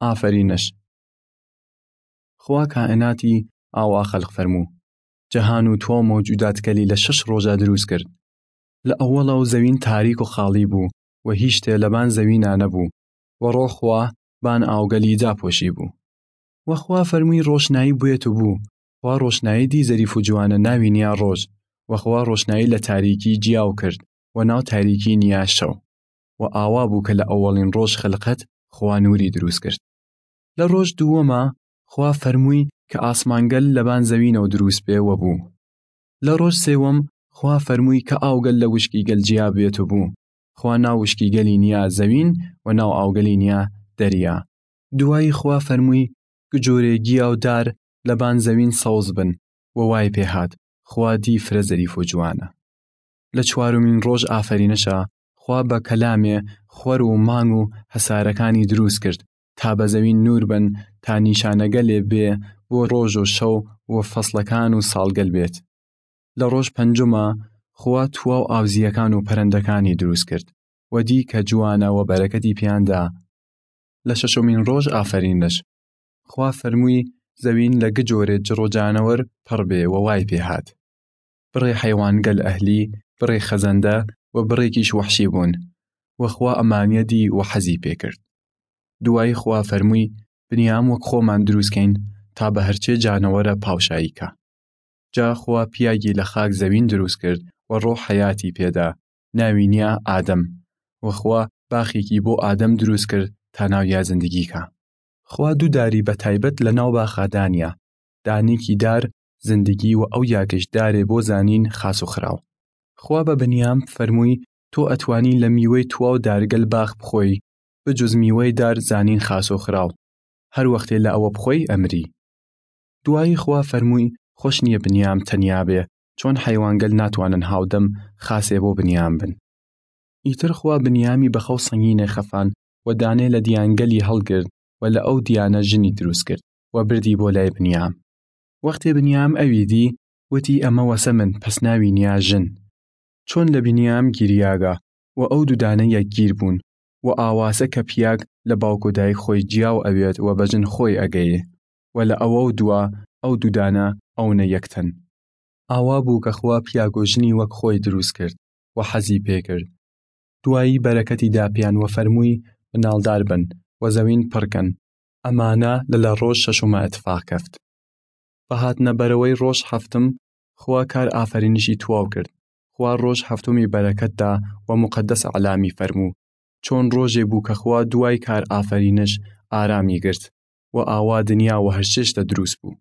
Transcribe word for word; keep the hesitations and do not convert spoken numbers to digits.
ئافەرینش. خوا کائناتی ئاوا خەلق فەرموو، جەهان و تواو مەوجوداتگەلی لە شەش رۆژا دروس کرد. لە ئەوەڵەو زەوین تاریک و خاڵی بوو و هیشتێ لەبان زەوینا نەبوو، و رۆح خوا بان ئاوگەلی داپۆشی بوو. و خوا فەرموی رۆشنایی بوێت و بوو. خوا رۆشنایی دی زەریف و جوانە ناوی نیا رۆژ، و خوا رۆشنایی لە تاریکی جیاو کرد و ناو تاریکی نیا شەو. و ئاوا بوو کە لە ئەوەڵین رۆژ خەلقەت خوا نوری دروس کرد. لە رۆژ دووەما خوا فەرموی کە ئاسمانگەل لەبان زەوینەو دروس بێ و بوو. لە رۆژ سێوەم خوا فەرموی کە ئاوگەل لە وشکیگەل جیا بێت و بوو. خوا ناو وشکیگەلی نیا زەوین و ناو ئاوگەلی نیا دەریا. دوایی خوا فەرموی گجۆرێ گیا و دار لەبان زەوین سەوز بن و وای پێ هات. خوا دی فرە زەریف و جوانە. لە چوارمین رۆژ ئافەرینشا خوا بە کەلامێ خوەر و مانگ و هەسارەکانی دروس کرد تا بە زەوین نور بن تا نیشانەگەلێ بێ بۆ رۆژ و شەو و فەسڵەکان و ساڵگەل بێت. لە رۆژ پەنجما خوا تواو ئاوزیەکان و پەرەندەکانی دروس کرد و دی کە جوانە و بەرەکەتی پیان دا. لە شەشمین رۆژ ئافەرینش خوا فەرموی زەوین لە گجۆرێ جڕ و جانەوەر پڕ بێ و وای پێ هات. بڕێ حەیوانگەل ئەهلی، بڕێ خەزەندە و بڕێکیش وەحشی بوون، و خوا ئەمانیە دی و حەزی پێ کرد. دوایی خوا فەرموی بنیام وەک خۆمان دروس کەین تا بە هەرچێ جانەوەرە پاوشایی کا. جا خوا پیاگی لە خاک زەوین دروس کرد و رۆح حەیاتی پێدا، ناوی نیا ئادەم. و خوا باخێکی بۆ ئادەم دروس کرد تا ناویا زندگی کا. خوا دو داری بە تایبەت لە ناو باخا دانیا، دانێکی دار زندگی و ئەو یاگەش دارێ بۆ زانین خاس و خراو. خوا بە بنیام فەرموی تۆ ئەتوانی لە میوەی تواو دارگەل باخ بخۆی، بجز میوەی دار زانین خاس و خراو، هەر وەختێ لە ئەوە بخۆی ئەمری. دوایی خوا فەرموی خوەش نیە بنیام تەنیا بێ، چۆن حەیوانگەل ناتوانن هاودەم خاسێ بۆ بنیام بن. ئیتر خوا بنیامی بە خەو سەنگینێ خەفان و دانێ لە دیانگەلی هەڵگرد و لە ئەو دیانە ژنی دروس کرد و بردی بۆ لای بنیام. وەختێ بنیام ئەوی دی، وتی ئەمە وەسە من، پەس ناوی نیا ژن. چۆن لە بنیام گیریاگە و ئەو دودانە یەکگیر بوون و ئاواسە کە پیاگ لە باوک و دایک خۆی جیاو ئەوێت و بە ژن خۆی ئەگەیێ و لە ئەوەو دوا ئەو دودانە ئەونە یەک تەن. ئاوا بوو کە خوا پیاگ و ژنی وەک خۆی دروس کرد و حەزی پێ کرد. دوایی بەرەکەتی دا پیان و فەرموی مناڵدار بن و زەوین پڕ کەن. ئەمانە لە لە ڕۆژ شەشما ئتفاق کەفت. بە هاتنە بەرەوەی ڕۆژ حەفتم، خوا کار ئافەرینشی تواو کرد. خوا ڕۆژ حەفتمی بەرەکەت دا و مقەدەس ئەعلامی فەرموو. چۆن ڕۆژێ بوو کە خوا دوای کار ئافەرینش ئارامی گرت و ئاوا دنیا و هەرچێشتە دروس بوو.